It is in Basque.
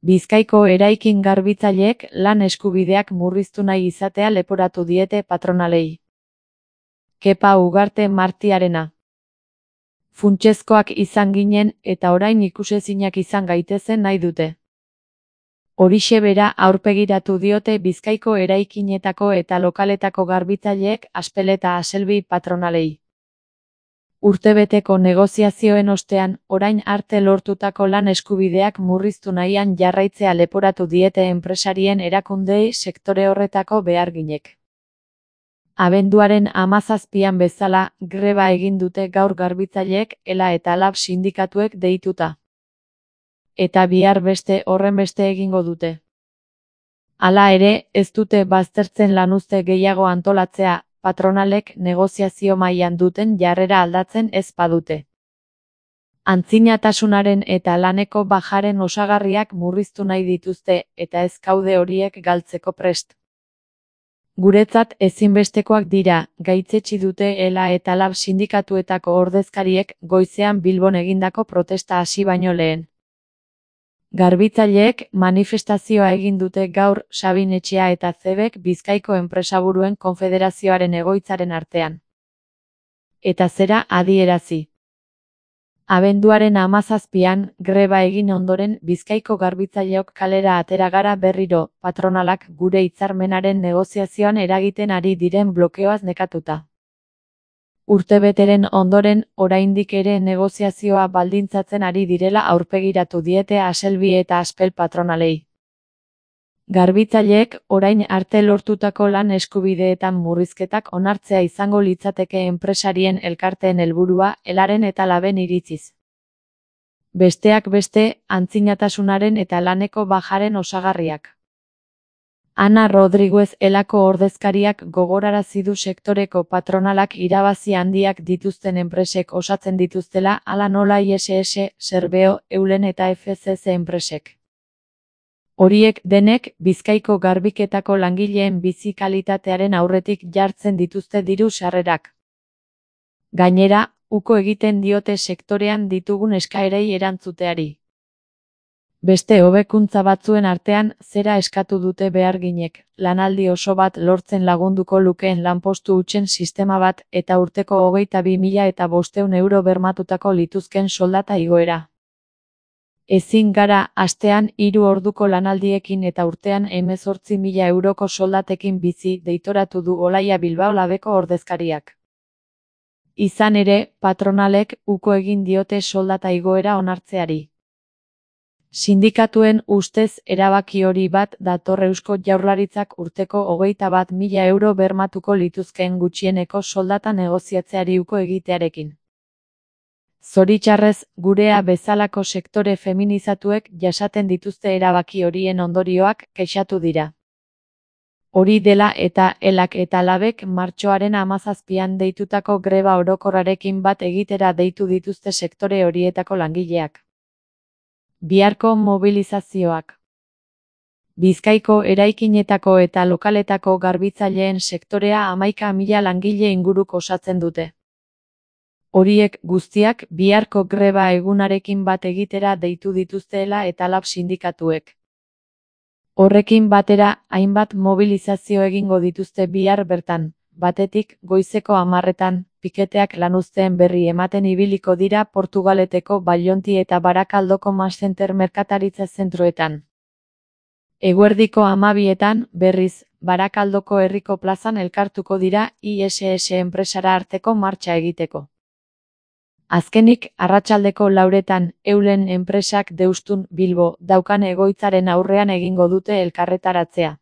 Bizkaiko eraikin garbitzaileek lan eskubideak murriztu nahi izatea leporatu diete patronalei. Kepa Ugarte Martiarena. Funtsezkoak izan ginen eta orain ikusezinak izan gaitezen nahi dute. Horixe bera aurpegiratu diote Bizkaiko eraikinetako eta lokaletako garbitzaileek Aspel eta Aselbi patronalei. Urtebeteko negoziazioen ostean, orain arte lortutako lan eskubideak murriztu nahian jarraitzea leporatu diete enpresarien erakundeei sektore horretako beharginek. Abenduaren 17an bezala, greba egin dute gaur garbitzaileek ELA eta LAB sindikatuek deituta. Eta bihar beste horrenbeste egingo dute. Hala ere, ez dute baztertzen lanuzte gehiago antolatzea, patronalek negoziazio mailan duten jarrera aldatzen ez badute. Antzinatasunaren eta laneko bajaren osagarriak murriztu nahi dituzte eta ez gaude horiek galtzeko prest. Guretzat ezinbestekoak dira, gaitzetsi dute ELA eta LAB sindikatuetako ordezkariek goizean Bilbon egindako protesta hasi baino lehen. Garbitzaileek manifestazioa egin dute gaur Sabin Etxea eta Zebek Bizkaiko Enpresaburuen Konfederazioaren egoitzaren artean. Eta zera adierazi. Abenduaren 17an, greba egin ondoren Bizkaiko garbitzaileok kalera atera gara berriro, patronalak gure hitzarmenaren negoziazioan eragiten ari diren blokeoaz nekatuta. Urtebeteren ondoren, oraindik ere negoziazioa baldintzatzen ari direla aurpegiratu diete Aselbi eta Aspel patronalei. Garbitzaileek orain arte lortutako lan eskubideetan murrizketak onartzea izango litzateke enpresarien elkarteen helburua, ELAren eta LABen iritziz. Besteak beste, antzinatasunaren eta laneko bajaren osagarriak. Ana Rodriguez ELAko ordezkariak gogorarazi du sektoreko patronalak irabazi handiak dituzten enpresek osatzen dituztela hala nola ISS, Serbeo, Eulen eta FCC enpresek. Horiek denek Bizkaiko garbiketako langileen bizi kalitatearen aurretik jartzen dituzte diru sarrerak. Gainera, uko egiten diote sektorean ditugun eskaerei erantzuteari. Beste hobekuntza batzuen artean, zera eskatu dute beharginek, lanaldi oso bat lortzen lagunduko lukeen lanpostu hutsen sistema bat eta urteko 22.500 euro bermatutako lituzken soldata igoera. Ezin gara, astean 3 orduko lanaldiekin eta urtean 18.000 euroko soldatekin bizi, deitoratu du Olaia Bilbao Labeko ordezkariak. Izan ere, patronalek uko egin diote soldata igoera onartzeari. Sindikatuen ustez erabaki hori bat dator Eusko Jaurlaritzak urteko 21.000 euro bermatuko lituzkeen gutxieneko soldata negoziatzeari uko egitearekin. Zoritxarrez, gurea bezalako sektore feminizatuek jasaten dituzte erabaki horien ondorioak kexatu dira. Hori dela eta ELAk eta LABek martxoaren 17an deitutako greba orokorrarekin bat egitera deitu dituzte sektore horietako langileak. Biharko mobilizazioak. Bizkaiko eraikinetako eta lokaletako garbitzaileen sektorea 11.000 langile inguruk osatzen dute. Horiek guztiak biharko greba egunarekin bat egitera deitu dituztela eta LAB sindikatuek. Horrekin batera, hainbat mobilizazio egingo dituzte bihar bertan, batetik goizeko 10etan, piketeak lanuzteen berri ematen ibiliko dira Portugaleteko Bailonti eta Barakaldoko Masscenter merkataritza zentroetan. Eguerdiko 12etan, berriz, Barakaldoko herriko plazan elkartuko dira ISS enpresara arteko martxa egiteko. Azkenik, arratsaldeko 4etan, Eulen enpresak Deustun, Bilbo, daukan egoitzaren aurrean egingo dute elkarretaratzea.